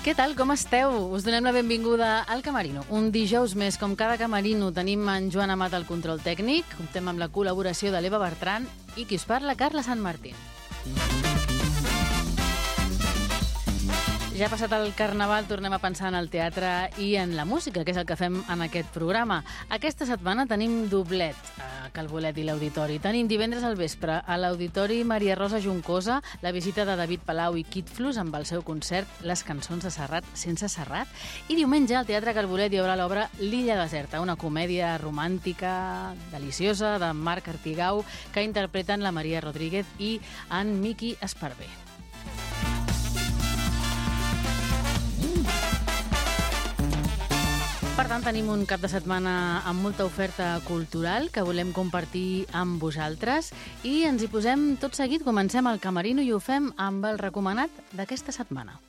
Què tal, com esteu? Us donem la benvinguda al Camerino. Un dijous més, com cada Camerino, tenim en Joan Amat al control tècnic, comptem amb la col·laboració de l'Eva Bertran i qui us parla, Carla Sant Martín. Ja ha passat el Carnaval, tornem a pensar en el teatre i en la música, que és el que fem en aquest programa. Aquesta setmana tenim doblet a Calbolet i l'Auditori. Tenim divendres al vespre a l'Auditori Maria Rosa Juncosa, la visita de David Palau i Kid Flus amb el seu concert Les cançons de Serrat sense Serrat. I diumenge al Teatre Calbolet hi haurà l'obra L'illa deserta, una comèdia romàntica deliciosa de Marc Artigau que interpreten la Maria Rodríguez i en Miqui Esparvé. Per tant, tenim un cap de setmana amb molta oferta cultural que volem compartir amb vosaltres i ens hi posem tot seguit. Comencem el Camerino i ho fem amb el recomanat d'aquesta setmana.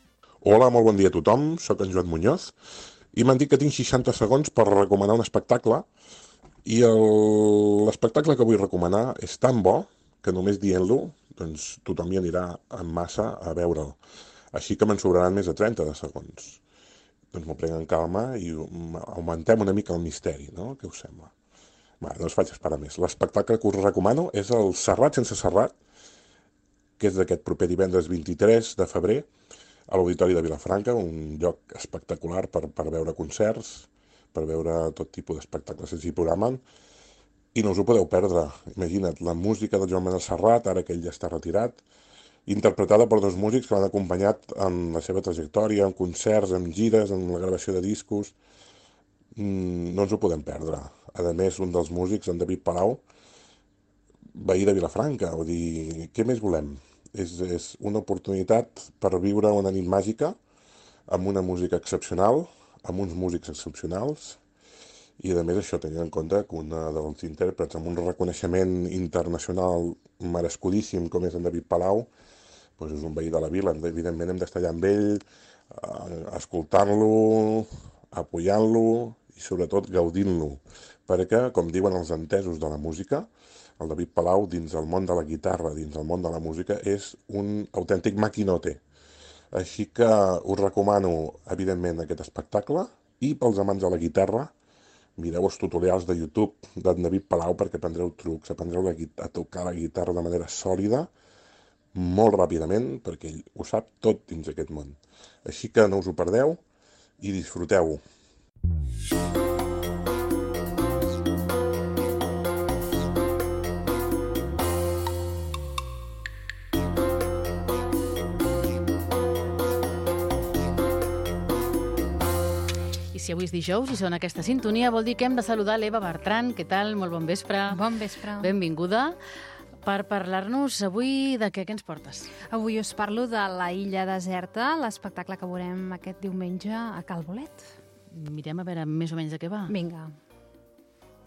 Hola, molt bon dia a tothom. Soc en Joan Muñoz i m'han dit que tinc 60 segons per recomanar un espectacle i l'espectacle que vull recomanar és tan bo que només dient-lo doncs, tothom hi anirà en massa a veure'l. Així que me'n sobraran més de 30 de segons. Doncs m'ho prenc en calma i augmentem una mica el misteri, no? Què us sembla? Va, no us faig esperar més. L'espectacle que us recomano és el Serrat sense Serrat, que és d'aquest proper divendres 23 de febrer a l'Auditori de Vilafranca, un lloc espectacular per veure concerts, per veure tot tipus d'espectacles que s'hi programen, i no us ho podeu perdre. Imagina't, la música del Joan Manuel Serrat, ara que ell ja està retirat, interpretada per dos músics que l'han acompanyat en la seva trajectòria, en concerts, en gires, en la gravació de discos. No ens ho podem perdre. A més, un dels músics, en David Palau, veí de Vilafranca. Vull dir, què més volem? És una oportunitat per viure una nit màgica amb una música excepcional, amb uns músics excepcionals, i a més això tenint en compte que un dels intèrprets amb un reconeixement internacional merescudíssim com és en David Palau, doncs és un veí de la vila. Evidentment hem d'estar allà amb ell, escoltant-lo, apoyant-lo i sobretot gaudint-lo, perquè, com diuen els entesos de la música, el David Palau dins el món de la guitarra, dins el món de la música, és un autèntic maquinote. Així que us recomano, evidentment, aquest espectacle, i pels amants de la guitarra, mireu els tutorials de YouTube d'en David Palau perquè aprendreu trucs, aprendreu a tocar la guitarra de manera sòlida, molt ràpidament, perquè ell ho sap tot dins aquest món. Així que no us ho perdeu i disfruteu-ho. Si avui és dijous i sona aquesta sintonia, vol dir que hem de saludar l'Eva Bertran. Què tal? Molt bon vespre. Bon vespre. Benvinguda. Per parlar-nos avui de què ens portes? Avui us parlo de La illa deserta, l'espectacle que veurem aquest diumenge a Calbolet. Mirem a veure més o menys de què va. Vinga.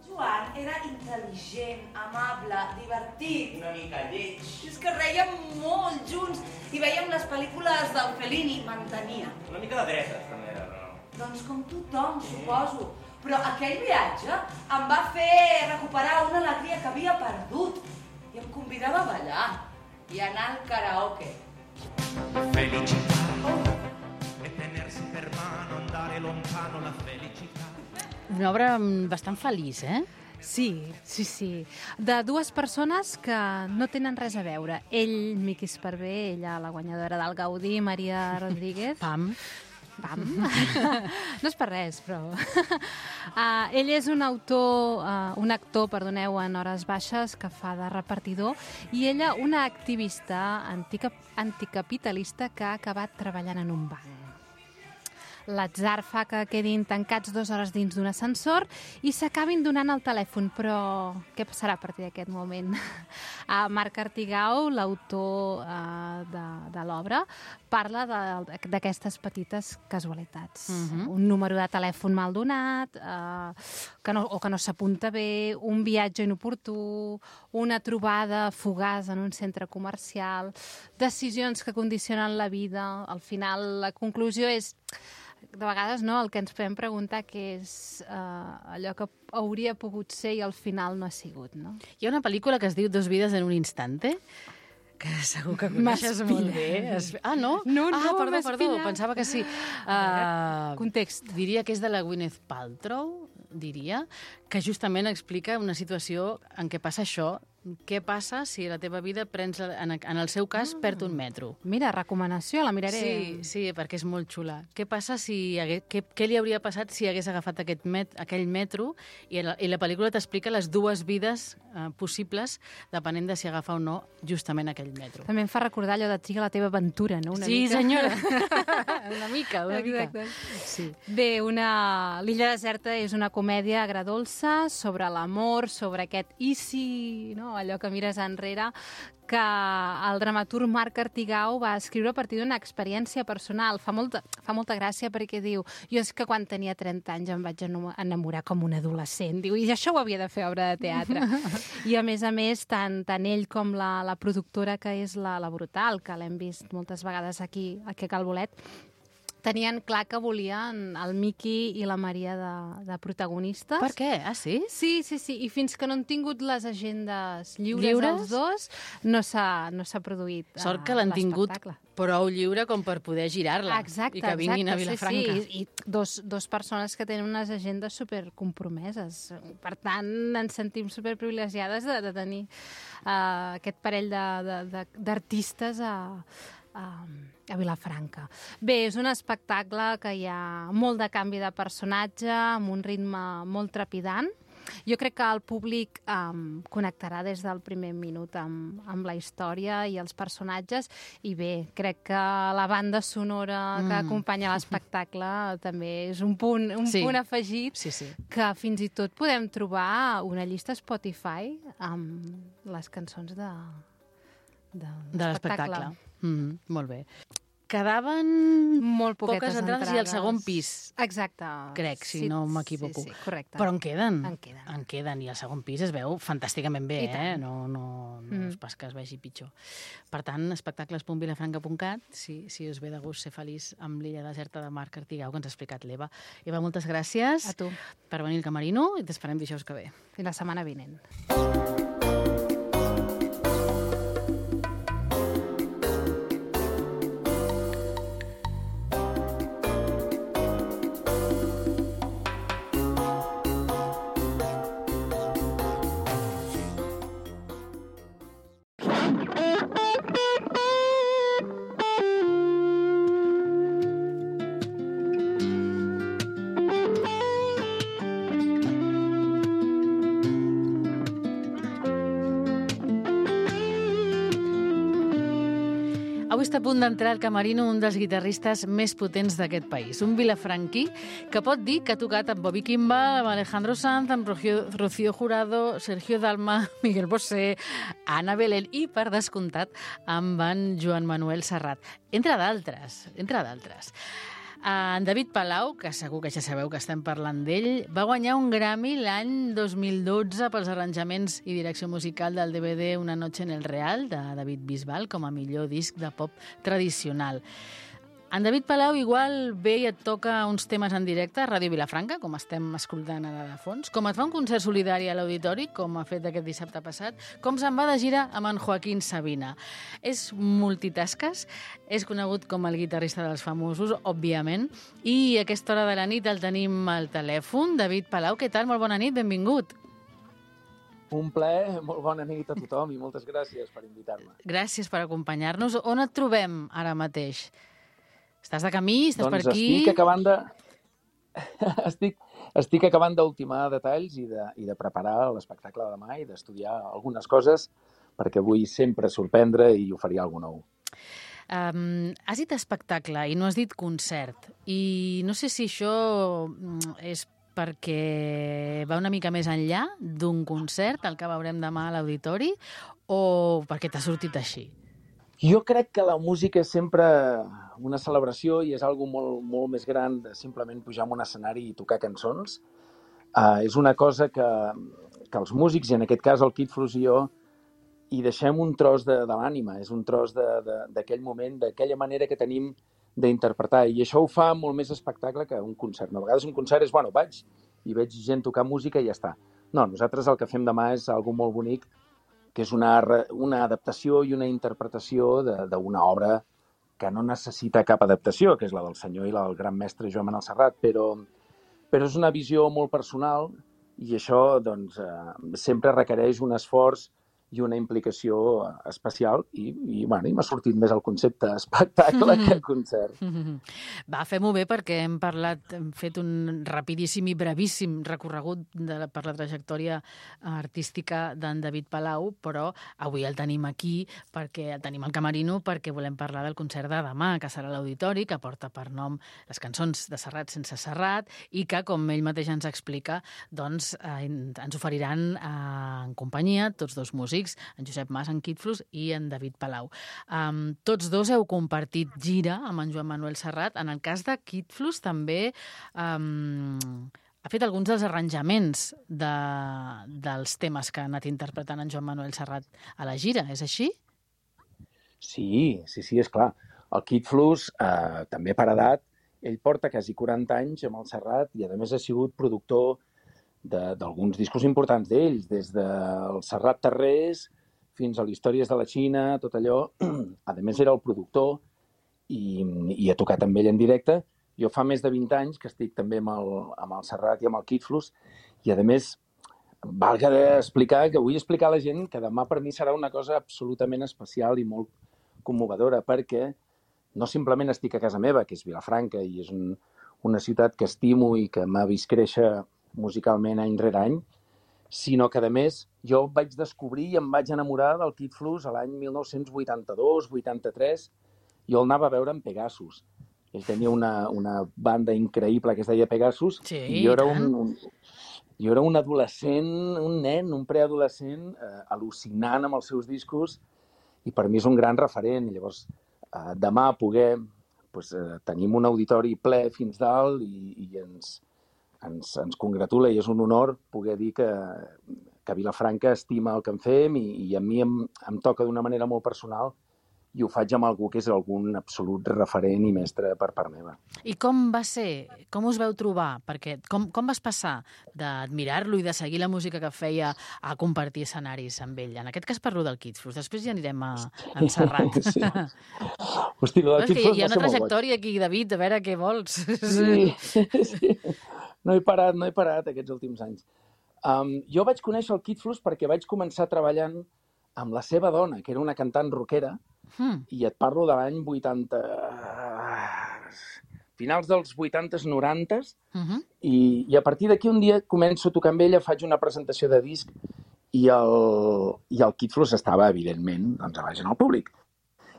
Joan era intel·ligent, amable, divertit. Una mica lleig. És que rèiem molt junts i veiem les pel·lícules del Fellini, m'entenia. Una mica de dretes, també era, però no. Doncs com tothom, suposo. Però aquell viatge em va fer recuperar una alegria que havia perdut. I em convidava a ballar i a anar al karaoke. Felicità e tenersi per mano, andare lontano la felicità. Una obra bastant feliç, eh? Sí. De dues persones que no tenen res a veure. Ell, Miqui Esparvé, ella, la guanyadora del Gaudí, Maria Rodríguez. Pam. No és per res, però... ell és un actor, en hores baixes que fa de repartidor, i ella una activista anticapitalista que ha acabat treballant en un banc. L'atzar fa que quedin tancats 2 hores dins d'un ascensor i s'acabin donant el telèfon, però què passarà a partir d'aquest moment? Marc Artigau, l'autor de l'obra, parla d'aquestes petites casualitats. Un número de telèfon mal donat, que no s'apunta bé, un viatge inoportú, una trobada fugaç en un centre comercial, decisions que condicionen la vida. Al final, la conclusió és... De vegades no, el que ens podem preguntar que és allò que hauria pogut ser i al final no ha sigut, no? Hi ha una pel·lícula que es diu Dos vides en un instante, que segur que coneixes molt bé. No? No, Perdó, m'espilla. pensava que sí. Context. Diria que és de la Gwyneth Paltrow, que justament explica una situació en què passa això. Què passa si la teva vida en el seu cas, perd un metro? Mira, recomanació, la miraré. Sí, perquè és molt xula. Què passa què li hauria passat si hagués agafat aquell metro i la pel·lícula t'explica les dues vides possibles depenent de si agafa o no justament aquell metro. També em fa recordar allò de Triga la teva aventura, no? Una mica. Senyora. una mica. Exacte. Sí. Bé, L'illa deserta és una comèdia agradolça sobre l'amor, sobre aquest i si, no? Allò que mires enrere, que el dramaturg Marc Artigau va escriure a partir d'una experiència personal. Fa molta gràcia perquè diu, jo és que quan tenia 30 anys em vaig enamorar com un adolescent. Diu, i això ho havia de fer obra de teatre. I a més, tant ell com la productora, que és la Brutal, que l'hem vist moltes vegades aquí a Cal Bolet, tenien clar que volien el Miqui i la Maria de protagonistes. Per què? Sí? Sí. I fins que no han tingut les agendes lliures els dos, no s'ha produït Sort que l'han tingut prou lliure com per poder girar-la. Exacte, i que vinguin a Vilafranca. Sí. I dos persones que tenen unes agendes supercompromeses. Per tant, ens sentim superprivilegiades de tenir aquest parell d'artistes a Vilafranca. Bé, és un espectacle que hi ha molt de canvi de personatge, amb un ritme molt trepidant. Jo crec que el públic connectarà des del primer minut amb la història i els personatges, i bé, crec que la banda sonora que acompanya l'espectacle també és un punt afegit, que fins i tot podem trobar una llista Spotify amb les cançons de l'espectacle. Molt bé. Quedaven molt poques entrades i el segon pis. Exacte. Crec, si no m'equivoco. Sí, correcte. Però en queden. En queden. I el segon pis es veu fantàsticament bé, No és pas que es vegi pitjor. Per tant, espectacles.vilafranca.cat, si us ve de gust ser feliç amb l'illa deserta de Marc Artigau, que ens ha explicat l'Eva. Eva, moltes gràcies a tu per venir al Camerino i t'esperem dijous que ve. Fins la setmana vinent. Avui està a punt d'entrar al Camerino un dels guitarristes més potents d'aquest país, un vilafranquí que pot dir que ha tocat amb Bobby Kimball, amb Alejandro Sanz, amb Rocío Jurado, Sergio Dalma, Miguel Bosé, Ana Belén i, per descomptat, amb en Joan Manuel Serrat, entre d'altres. En David Palau, que segur que ja sabeu que estem parlant d'ell, va guanyar un Grammy l'any 2012 pels arranjaments i direcció musical del DVD Una noche en el Real, de David Bisbal, com a millor disc de pop tradicional. En David Palau igual ve i et toca uns temes en directe a Ràdio Vilafranca, com estem escoltant ara de fons, com et fa un concert solidari a l'Auditori, com ha fet aquest dissabte passat, com se'n va de gira amb en Joaquín Sabina. És multitasques, és conegut com el guitarrista dels famosos, òbviament, i a aquesta hora de la nit el tenim al telèfon. David Palau, què tal? Molt bona nit, benvingut. Un plaer, molt bona nit a tothom i moltes gràcies per invitar-me. Gràcies per acompanyar-nos. On et trobem ara mateix? Estàs de camí? Estàs per aquí? Estic acabant d'ultimar detalls i de preparar l'espectacle de demà i d'estudiar algunes coses perquè vull sempre sorprendre i oferir alguna nou. Has dit espectacle i no has dit concert. I no sé si això és perquè va una mica més enllà d'un concert, el que veurem demà a l'Auditori, o perquè t'ha sortit així? Jo crec que la música és sempre una celebració i és algo molt més gran de simplement pujar a un escenari i tocar cançons. És una cosa que els músics, i en aquest cas el Kid Frus i jo, hi deixem un tros de l'ànima, és un tros d'aquell moment, d'aquella manera que tenim d'interpretar. I això ho fa molt més espectacle que un concert. A vegades un concert és, vaig i veig gent tocar música i ja està. No, nosaltres el que fem demà és algo molt bonic que és una adaptació i una interpretació d'una obra que no necessita cap adaptació, que és la del senyor i la del gran mestre Joan Manuel Serrat, però és una visió molt personal i això doncs, sempre requereix un esforç i una implicació especial i m'ha sortit més el concepte espectacle que concert. Va, fem-ho bé perquè hem fet un rapidíssim i brevíssim recorregut per la trajectòria artística d'en David Palau, però avui el tenim aquí, perquè el tenim al Camerino, perquè volem parlar del concert de demà, que serà a l'Auditori, que porta per nom les cançons de Serrat sense Serrat i que, com ell mateix ens explica, doncs ens oferiran en companyia tots dos músics, en Josep Mas, en Kid Flux i en David Palau. Tots dos heu compartit gira amb en Joan Manuel Serrat. En el cas de Kid Flux també ha fet alguns dels arranjaments dels temes que ha anat interpretant en Joan Manuel Serrat a la gira, és així? Sí, és clar. El Kid Flux, també per edat, ell porta quasi 40 anys amb el Serrat i a més ha sigut productor d'alguns discos importants d'ells, des del Serrat Terrés fins a l'Històries de la Xina, tot allò. A més, era el productor i ha tocat amb ell en directe. Jo fa més de 20 anys que estic també amb el Serrat i amb el Kid Flux i, a més, valga explicar que vull explicar a la gent que demà per mi serà una cosa absolutament especial i molt commovedora, perquè no simplement estic a casa meva, que és Vilafranca, i és una ciutat que estimo i que m'ha vist créixer musicalment any rere any, sinó que, a més, jo vaig descobrir i em vaig enamorar del Kid Flux a l'any 1982-83. Jo el anava a veure en Pegasus. Ell tenia una banda increïble que es deia Pegasus, sí, i jo era un adolescent, un nen, un preadolescent, al·lucinant amb els seus discos, i per mi és un gran referent. I llavors, demà tenim un auditori ple fins dalt i ens congratula i és un honor poder dir que Vilafranca estima el que en fem i a mi em toca d'una manera molt personal i ho faig amb algú que és algun absolut referent i mestre per part meva. I com va ser? Com us veu trobar? Perquè com vas passar d'admirar-lo i de seguir la música que feia a compartir escenaris amb ell? En aquest cas parlo del Kid Flux, després ja anirem a Serrat. Sí. Hosti, del Kid Flux hi ha una trajectòria aquí, David, a veure què vols. Sí. No he parat aquests últims anys. Jo vaig conèixer el Kid Flux perquè vaig començar treballant amb la seva dona, que era una cantant rockera, i et parlo de l'any 80... finals dels 80s, 90s, i a partir d'aquí un dia començo a tocar amb ella, faig una presentació de disc i el Kid Flux estava, evidentment, doncs, a baix en el públic.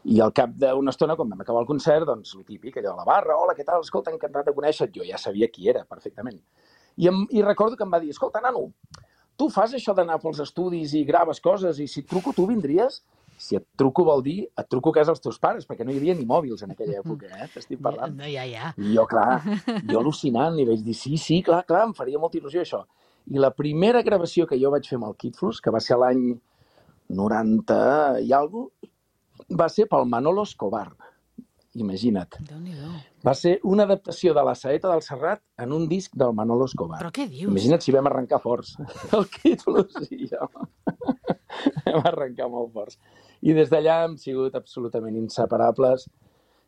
I al cap d'una estona, quan vam acabar el concert, doncs, el típic, allò a la barra, hola, què tal? Escolta, encantat de conèixer-te. Jo ja sabia qui era, perfectament. I recordo que em va dir, escolta, nano, tu fas això d'anar pels estudis i graves coses i si et truco, tu vindries? Si et truco vol dir, et truco a casa dels teus pares, perquè no hi havia ni mòbils en aquella època, t'estic parlant. Ja. I jo, clar, al·lucinant, li vaig dir, sí, clar, em faria molta il·lusió això. I la primera gravació que jo vaig fer amb el Kid Flux, que va ser l'any 90 i alguna cosa, va ser pel Manolo Escobar, imagina't. Déu-n'hi-do. Va ser una adaptació de La Saeta del Serrat en un disc del Manolo Escobar. Però què dius? Imagina't si vam arrencar forts. El Kid Flux i jo. Vam arrencar molt forts. I des d'allà hem sigut absolutament inseparables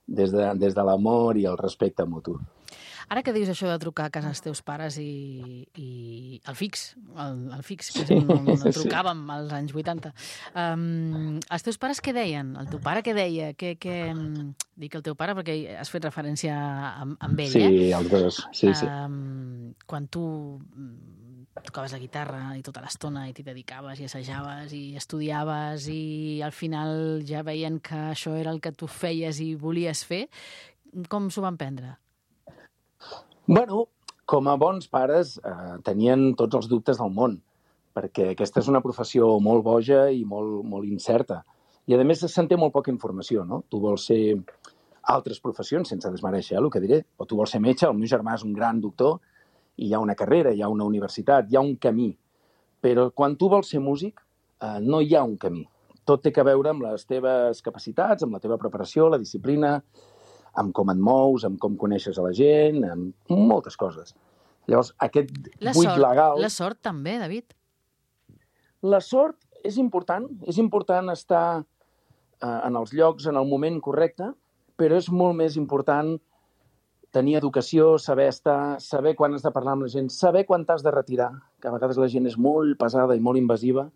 des de l'amor i el respecte mutu. Ara que dius això de trucar a casa dels teus pares i el fix, que és on trucàvem als anys 80, els teus pares què deien? El teu pare què deia? Dic el teu pare perquè has fet referència amb ell, Sí, els dos, sí. Quan tu tocaves la guitarra i tota l'estona i t'hi dedicaves i assajaves i estudiaves i al final ja veien que això era el que tu feies i volies fer, com s'ho van prendre? Bueno, com a bons pares tenien tots els dubtes del món, perquè aquesta és una professió molt boja i molt incerta. I a més se'n té molt poca informació, no? Tu vols ser altres professions, sense desmereixer el que diré, o tu vols ser metge, el meu germà és un gran doctor, i hi ha una carrera, hi ha una universitat, hi ha un camí. Però quan tu vols ser músic, no hi ha un camí. Tot té a veure amb les teves capacitats, amb la teva preparació, la disciplina, amb com et mous, amb com coneixes a la gent, amb moltes coses. Llavors, aquest buit legal... La sort també, David? La sort, és important estar en els llocs, en el moment correcte, però és molt més important tenir educació, saber estar, saber quan has de parlar amb la gent, saber quan t'has de retirar, que a vegades la gent és molt pesada i molt invasiva,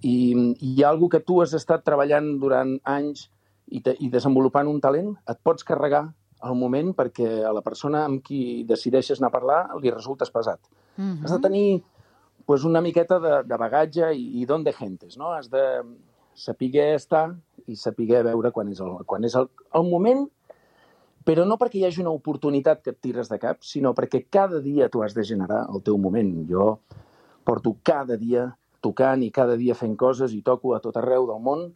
i hi ha alguna que tu has estat treballant durant anys i desenvolupant un talent, et pots carregar al moment perquè a la persona amb qui decideixes anar a parlar li resultes pesat. Has de tenir una miqueta de bagatge i don de gentes, no? Has de saber estar i saber veure quan és el moment, però no perquè hi hagi una oportunitat que et tires de cap, sinó perquè cada dia tu has de generar el teu moment. Jo porto cada dia tocant i cada dia fent coses i toco a tot arreu del món.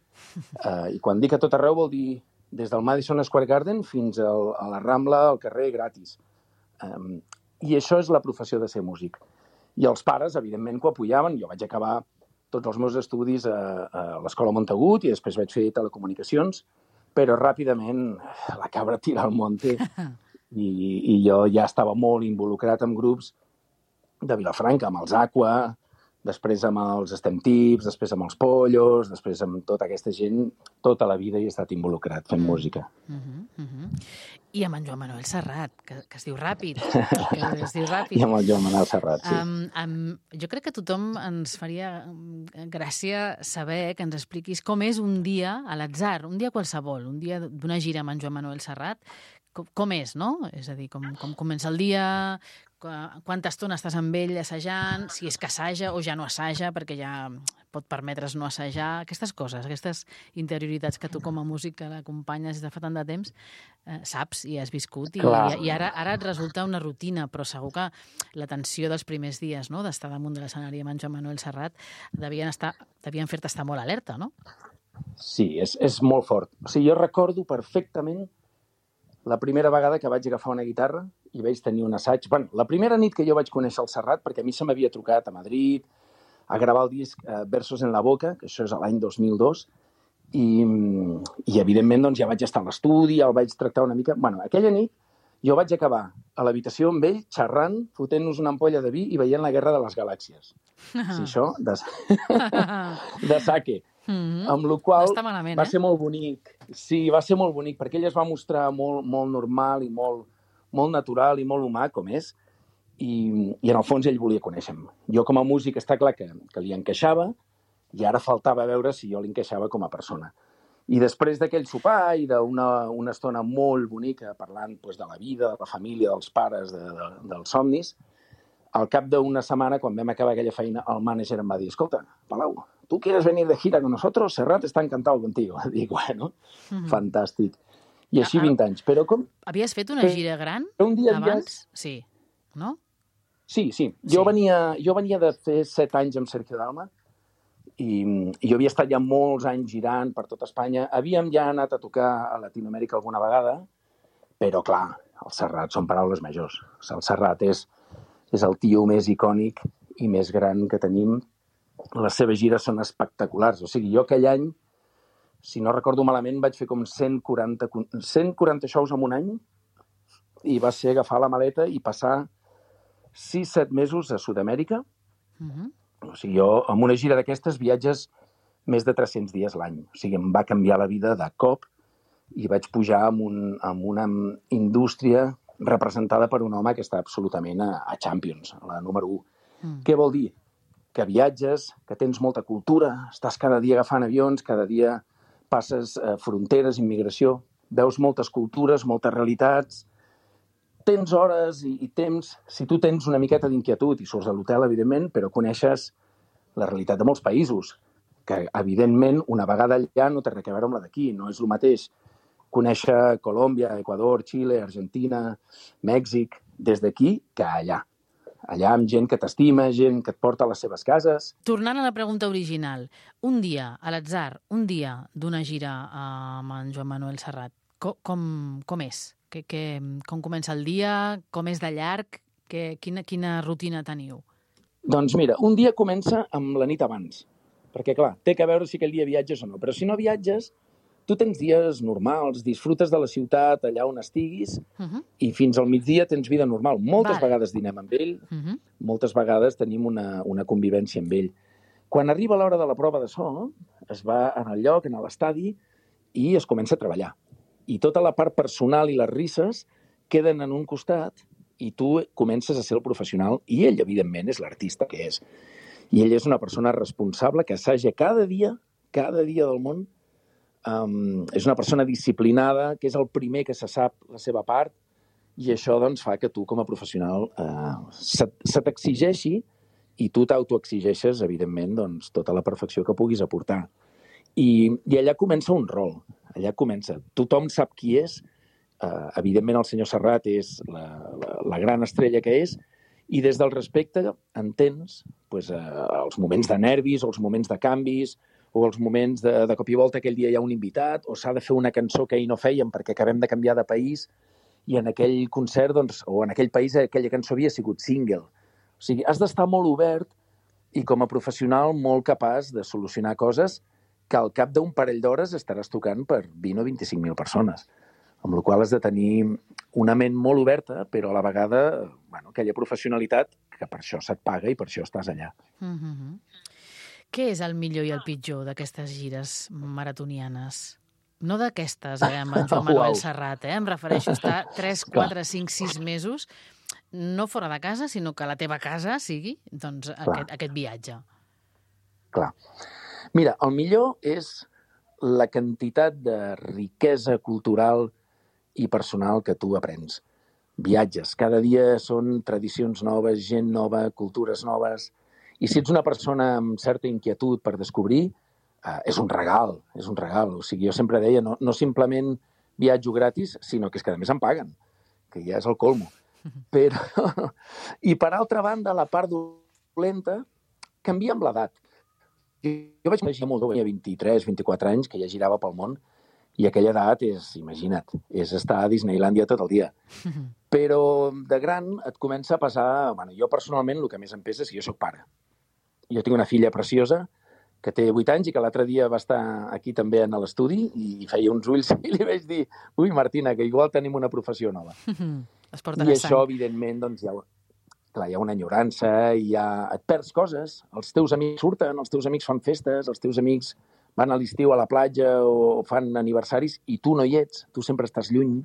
I quan dic a tot arreu vol dir des del Madison Square Garden fins a la Rambla, al carrer, gratis. I això és la professió de ser músic. I els pares, evidentment, que ho apoyaven. Jo vaig acabar tots els meus estudis a l'Escola Montagut i després vaig fer telecomunicacions, però ràpidament la cabra tira al monte i jo ja estava molt involucrat en grups de Vilafranca, amb els Aqua, després amb els Stem Tips, després amb els Pollos, després amb tota aquesta gent, tota la vida he estat involucrat fent música. I amb en Joan Manuel Serrat, que es diu ràpid. I amb el Joan Manuel Serrat, sí. Jo crec que a tothom ens faria gràcia saber que ens expliquis com és un dia a l'atzar, un dia qualsevol, un dia d'una gira amb en Joan Manuel Serrat, com és, no? És a dir, com comença el dia, quanta estona estàs amb ell assajant, si és que assaja o ja no assaja, perquè ja pot permetre's no assajar, aquestes coses, aquestes interioritats que tu com a músic que l'acompanyes des de fa tant de temps saps i has viscut, i ara et resulta una rutina, però segur que la tensió dels primers dies, no?, d'estar damunt de l'escenari amb en Joan Manuel Serrat devien fer-te estar molt alerta, no? Sí, és molt fort. O sigui, jo recordo perfectament la primera vegada que vaig agafar una guitarra i vaig tenir un assaig. Bueno, la primera nit que jo vaig conèixer el Serrat, perquè a mi se m'havia trucat a Madrid a gravar el disc Versos en la boca, que això és l'any 2002, i evidentment doncs, ja vaig estar a l'estudi, el vaig tractar una mica. Bueno, aquella nit jo vaig acabar a l'habitació amb ell, xerrant, fotent-nos una ampolla de vi i veient la Guerra de les Galàxies. Sí, això, de sake. Amb la qual va ser molt bonic. Sí, va ser molt bonic, perquè ell es va mostrar molt normal i molt natural i molt humà, com és, i en el fons ell volia conèixer-me. Jo com a músic està clar que li encaixava i ara faltava veure si jo li encaixava com a persona. I després d'aquell sopar i d'una estona molt bonica parlant de la vida, de la família, dels pares, dels somnis, al cap d'una setmana, quan vam acabar aquella feina, el mànager em va dir: escolta, Palau, ¿tú quieres venir de gira con nosotros? Serrat está encantado contigo. Dic, bueno, fantàstic. I així 20 anys. Però com... Havies fet una gira gran abans? Sí, no? Sí. Jo venia de fer 7 anys amb Sergio Dalma i jo havia estat ja molts anys girant per tot Espanya. Havíem ja anat a tocar a Latinoamèrica alguna vegada, però clar, el Serrat són paraules majors. El Serrat és el tio més icònic i més gran que tenim. Les seves gires són espectaculars. O sigui, jo aquell any, si no recordo malament, vaig fer com 140 shows en un any i va ser agafar la maleta i passar 6-7 mesos a Sud-amèrica. O sigui, jo amb una gira d'aquestes viatges més de 300 dies l'any. O sigui, em va canviar la vida de cop i vaig pujar amb una indústria representada per un home que està absolutament a Champions, a la número 1. Què vol dir? Que viatges, que tens molta cultura, estàs cada dia agafant avions, cada dia passes fronteres, immigració, veus moltes cultures, moltes realitats, tens hores i temps, si tu tens una miqueta d'inquietud i surts de l'hotel, evidentment, però coneixes la realitat de molts països, que evidentment una vegada allà no té res a veure amb la d'aquí, no és el mateix conèixer Colòmbia, Equador, Xile, Argentina, Mèxic, des d'aquí que allà. Allà amb gent que t'estima, gent que et porta a les seves cases. Tornant a la pregunta original, un dia, a l'atzar, un dia d'una gira amb en Joan Manuel Serrat, com és? Com comença el dia? Com és de llarg? Quina rutina teniu? Doncs mira, un dia comença amb la nit abans, perquè clar, té que veure si aquell dia viatges o no, però si no viatges, tu tens dies normals, disfrutes de la ciutat allà on estiguis i fins al migdia tens vida normal. Moltes vegades dinem amb ell, moltes vegades tenim una convivència amb ell. Quan arriba l'hora de la prova de so, es va en el lloc, en l'estadi, i es comença a treballar. I tota la part personal i les risses queden en un costat i tu comences a ser el professional i ell, evidentment, és l'artista que és. I ell és una persona responsable que assaja cada dia del món. És una persona disciplinada, que és el primer que se sap la seva part, i això doncs, fa que tu, com a professional, se t'exigeixi i tu t'autoexigeixes, evidentment, doncs, tota la perfecció que puguis aportar. I allà comença un rol. Allà comença. Tothom sap qui és. Evidentment, el senyor Serrat és la gran estrella que és, i des del respecte entens els moments de nervis, o els moments de canvis, o els moments de cop i volta aquell dia hi ha un invitat, o s'ha de fer una cançó que ahir no fèiem perquè acabem de canviar de país, i en aquell concert, doncs, o en aquell país, aquella cançó havia sigut single. O sigui, has d'estar molt obert i com a professional molt capaç de solucionar coses que al cap d'un parell d'hores estaràs tocant per 20 o 25.000 persones. Amb la qual cosa has de tenir una ment molt oberta, però a la vegada aquella professionalitat que per això se't paga i per això estàs allà. Què és el millor i el pitjor d'aquestes gires maratonianes? No d'aquestes, amb en Joan Manuel Serrat, em refereixo a estar 3, 4, 5, 6 mesos, no fora de casa, sinó que la teva casa sigui aquest viatge. Clar. Mira, el millor és la quantitat de riquesa cultural i personal que tu aprens. Viatges. Cada dia són tradicions noves, gent nova, cultures noves. I si ets una persona amb certa inquietud per descobrir, és un regal, és un regal. O sigui, jo sempre deia, no simplement viatjo gratis, sinó que és que a més em paguen, que ja és el colmo. Però... I per altra banda, la part dolenta canvia amb l'edat. Jo vaig conèixer molt jove, 23, 24 anys, que ja girava pel món, i aquella edat és, imagina't, és estar a Disneylàndia tot el dia. Però de gran et comença a passar... Jo personalment el que més em pesa és que jo soc pare. Jo tinc una filla preciosa que té 8 anys i que l'altre dia va estar aquí també en l'estudi i feia uns ulls i li vaig dir ui, Martina, que igual tenim una professió nova. I això, evidentment, doncs, hi ha una enyorança, et perds coses, els teus amics surten, els teus amics fan festes, els teus amics van a l'estiu a la platja o fan aniversaris i tu no hi ets, tu sempre estàs lluny.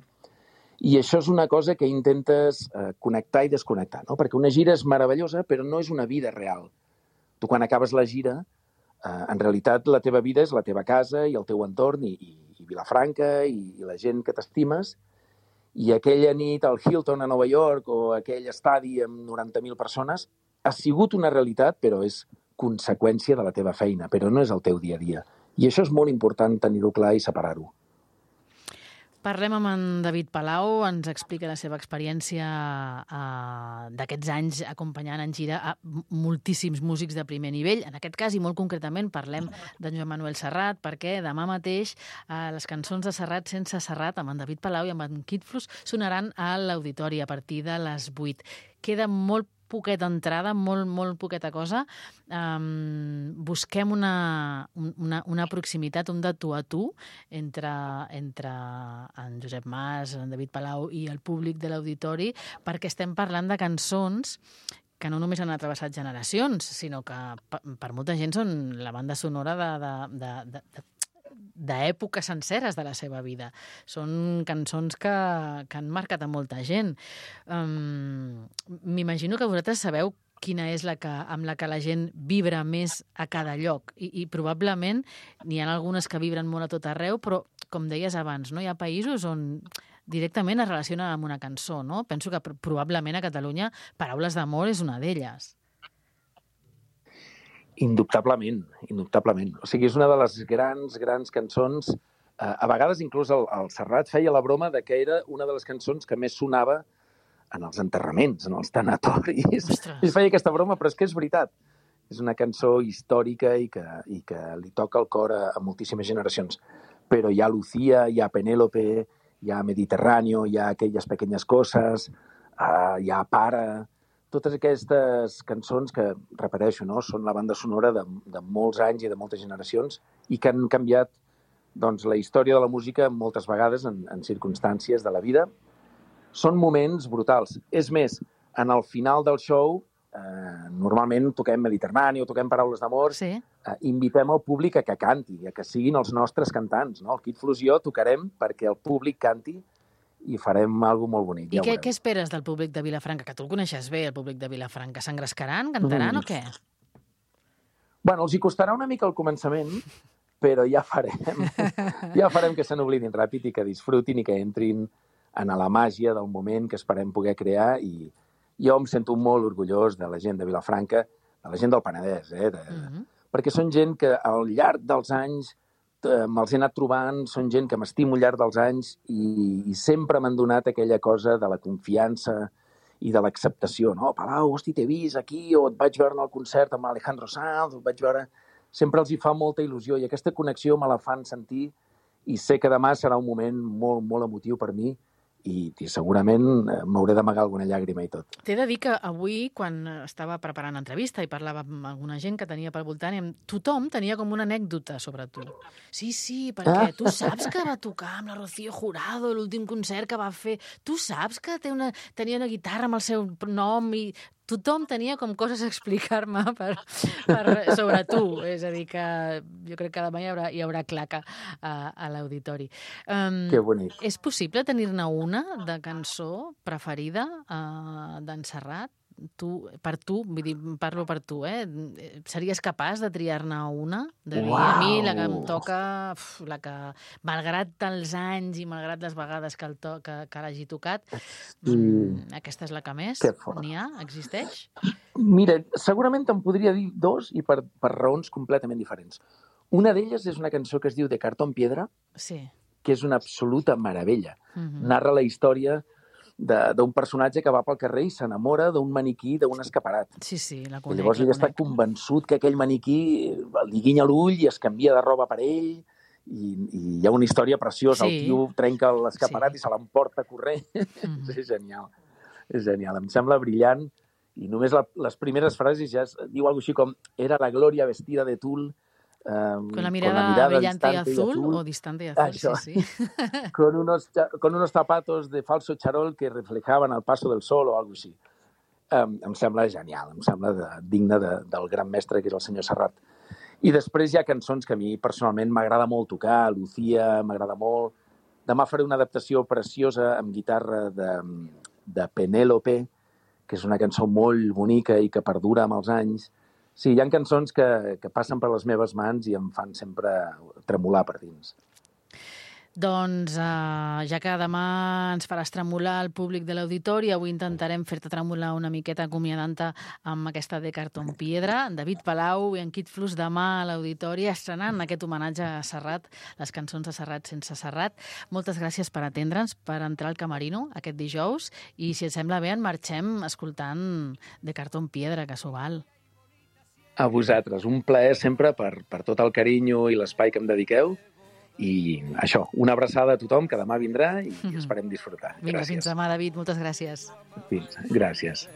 I això és una cosa que intentes connectar i desconnectar, no? Perquè una gira és meravellosa, però no és una vida real. Tu, quan acabes la gira, en realitat la teva vida és la teva casa i el teu entorn i Vilafranca i la gent que t'estimes. I aquella nit al Hilton a Nova York o aquell estadi amb 90.000 persones ha sigut una realitat, però és conseqüència de la teva feina, però no és el teu dia a dia. I això és molt important tenir-ho clar i separar-ho. Parlem amb en David Palau, ens explica la seva experiència d'aquests anys acompanyant en gira a moltíssims músics de primer nivell. En aquest cas, i molt concretament, parlem d'en Joan Manuel Serrat, perquè demà mateix les cançons de Serrat sense Serrat, amb en David Palau i amb en Kid Fluss, sonaran a l'Auditori a partir de les 8. Queda molt poqueta entrada, molt poqueta cosa. Busquem una proximitat, un de tu a tu entre en Josep Mas, en David Palau i el públic de l'Auditori, perquè estem parlant de cançons que no només han atravessat generacions, sinó que per molta gent són la banda sonora d'èpoques senceres de la seva vida. Són cançons que han marcat a molta gent. M'imagino que vosaltres sabeu quina és amb la que la gent vibra més a cada lloc. I probablement n'hi ha algunes que vibren molt a tot arreu, però, com deies abans, no? Hi ha països on directament es relaciona amb una cançó, no? Penso que probablement a Catalunya Paraules d'amor és una d'elles. Indubtablement. O sigui, és una de les grans cançons. A vegades, inclús, el Serrat feia la broma de que era una de les cançons que més sonava en els enterraments, en els tanatoris. I feia aquesta broma, però és que és veritat. És una cançó històrica i que li toca el cor a moltíssimes generacions. Però hi ha Lucía, hi ha Penélope, hi ha Mediterráneo, hi ha Aquelles pequeñas cosas, hi ha Para... Totes aquestes cançons que, repeteixo, no, són la banda sonora de molts anys i de moltes generacions i que han canviat la història de la música moltes vegades en circumstàncies de la vida. Són moments brutals. És més, en el final del show normalment toquem Mediterrani o toquem Paraules d'amor, invitem el públic a que canti, a que siguin els nostres cantants. No? El Kid Flux i jo tocarem perquè el públic canti i farem alguna cosa molt bonic. I què esperes del públic de Vilafranca? Que tu el coneixes bé, el públic de Vilafranca. S'engrescaran, cantaran o què? Bueno, els hi costarà una mica al començament, però ja farem que se n'oblidin ràpid i que disfrutin i que entrin en la màgia del moment que esperem poder crear, i jo em sento molt orgullós de la gent de Vilafranca, de la gent del Penedès, perquè són gent que al llarg dels anys me'ls he anat trobant, són gent que m'estimo al llarg dels anys i sempre m'han donat aquella cosa de la confiança i de l'acceptació, no? Palau, hosti, t'he vist aquí, o et vaig veure en el concert amb Alejandro Sanz, o et vaig veure... Sempre els hi fa molta il·lusió i aquesta connexió me la fan sentir i sé que demà serà un moment molt, molt emotiu per mi i segurament m'hauré d'amagar alguna llàgrima i tot. T'he de dir que avui, quan estava preparant l'entrevista i parlava amb alguna gent que tenia pel voltant, tothom tenia com una anècdota sobre tu. Sí, perquè tu saps que va tocar amb la Rocío Jurado l'últim concert que va fer. Tu saps que tenia una guitarra amb el seu nom i... Tothom tenia com coses a explicar-me sobre tu. És a dir, que jo crec que demà hi haurà claca a l'auditori. Que bonic. És possible tenir-ne una de cançó preferida d'en Serrat? Per tu, vull dir, parlo per tu, series capaç de triar-ne una? De dir, a mi la que em toca, la que, malgrat els anys i malgrat les vegades que l'hagi tocat, aquesta és la que més? N'hi ha? Existeix? Mira, segurament te'n podria dir dos i per raons completament diferents. Una d'elles és una cançó que es diu De Cartón Piedra, que és una absoluta meravella. Narra la història d'un personatge que va pel carrer i s'enamora d'un maniquí d'un escaparat. Sí, la conec. I llavors ell està convençut que aquell maniquí li guinya l'ull i es canvia de roba per ell i hi ha una història preciosa. El tio trenca l'escaparat i se l'emporta corrent. És genial. És genial. Em sembla brillant i només les primeres frases ja diu alguna cosa així com «Era la Gloria vestida de tul». Con la mirada brillante y azul o distante y azul, sí. Con unos zapatos de falso charol que reflejaban el paso del sol o algo així. Em sembla genial, em sembla digne del gran mestre que és el senyor Serrat. I després hi ha cançons que a mi personalment m'agrada molt tocar, Lucía m'agrada molt. Demà faré una adaptació preciosa amb guitarra de Penélope, que és una cançó molt bonica i que perdura amb els anys. Sí, hi ha cançons que passen per les meves mans i em fan sempre tremolar per dins. Doncs, ja que demà ens faràs tremolar el públic de l'auditori, avui intentarem fer-te tremolar una miqueta acomiadant-te amb aquesta De Cartón Piedra. David Palau i en Kid Flux demà a l'auditori estrenant aquest homenatge a Serrat, les cançons de Serrat sense Serrat. Moltes gràcies per atendre'ns, per entrar al Camerino aquest dijous i, si et sembla bé, en marxem escoltant De Cartón Piedra, que s'ho val. A vosaltres. Un plaer sempre per tot el carinyo i l'espai que em dediqueu. I això, una abraçada a tothom que demà vindrà i esperem disfrutar. Vinga, fins demà, David. Moltes gràcies. Fins. Gràcies.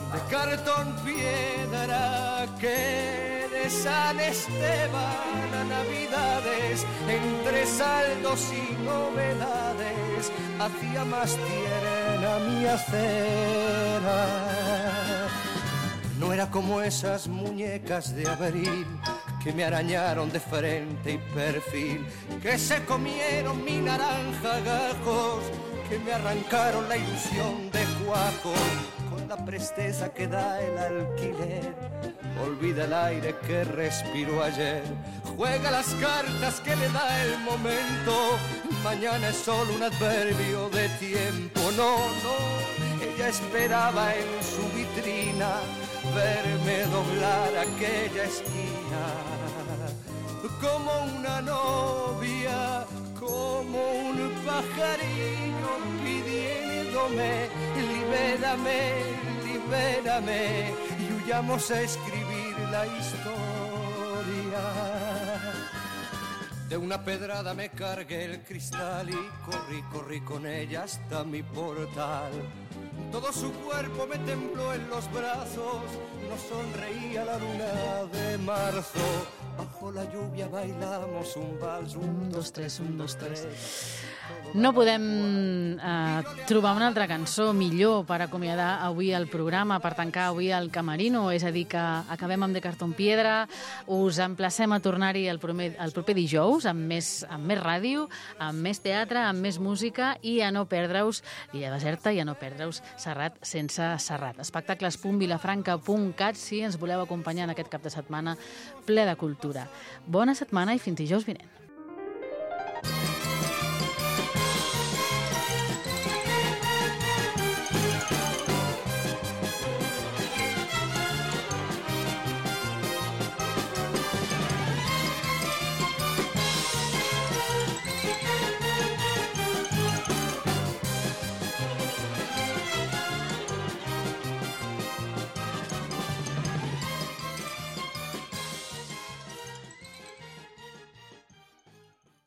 De cartón piedra que de San Esteban a Navidades, entre saldos y novedades, hacía más tierna mi acera. No era como esas muñecas de abril que me arañaron de frente y perfil, que se comieron mi naranja gajos, que me arrancaron la ilusión de cuajo, con la presteza que da el alquiler. Olvida el aire que respiró ayer, juega las cartas que le da el momento. Mañana es solo un adverbio de tiempo. No, ella esperaba en su vitrina verme doblar aquella esquina, como una novia, como un pajarillo pidiéndome, libérame, libérame, y huyamos a escribir la historia. De una pedrada me cargué el cristal y corrí con ella hasta mi portal. todo su cuerpo me tembló en los brazos, nos sonreía la luna de marzo, bajo la lluvia bailamos un vals, 1, 2, 3, 1, 2, 3. No podem trobar una altra cançó millor per acomiadar avui el programa, per tancar avui el Camerino, és a dir, que acabem amb De Cartón Piedra. Us emplacem a tornar-hi el proper dijous amb més ràdio, amb més teatre, amb més música i a no perdre-us L'Illa Deserta i a no perdre-us Serrat sense Serrat. Espectacles.vilafranca.cat si ens voleu acompanyar en aquest cap de setmana ple de cultura. Bona setmana i fins dijous vinent.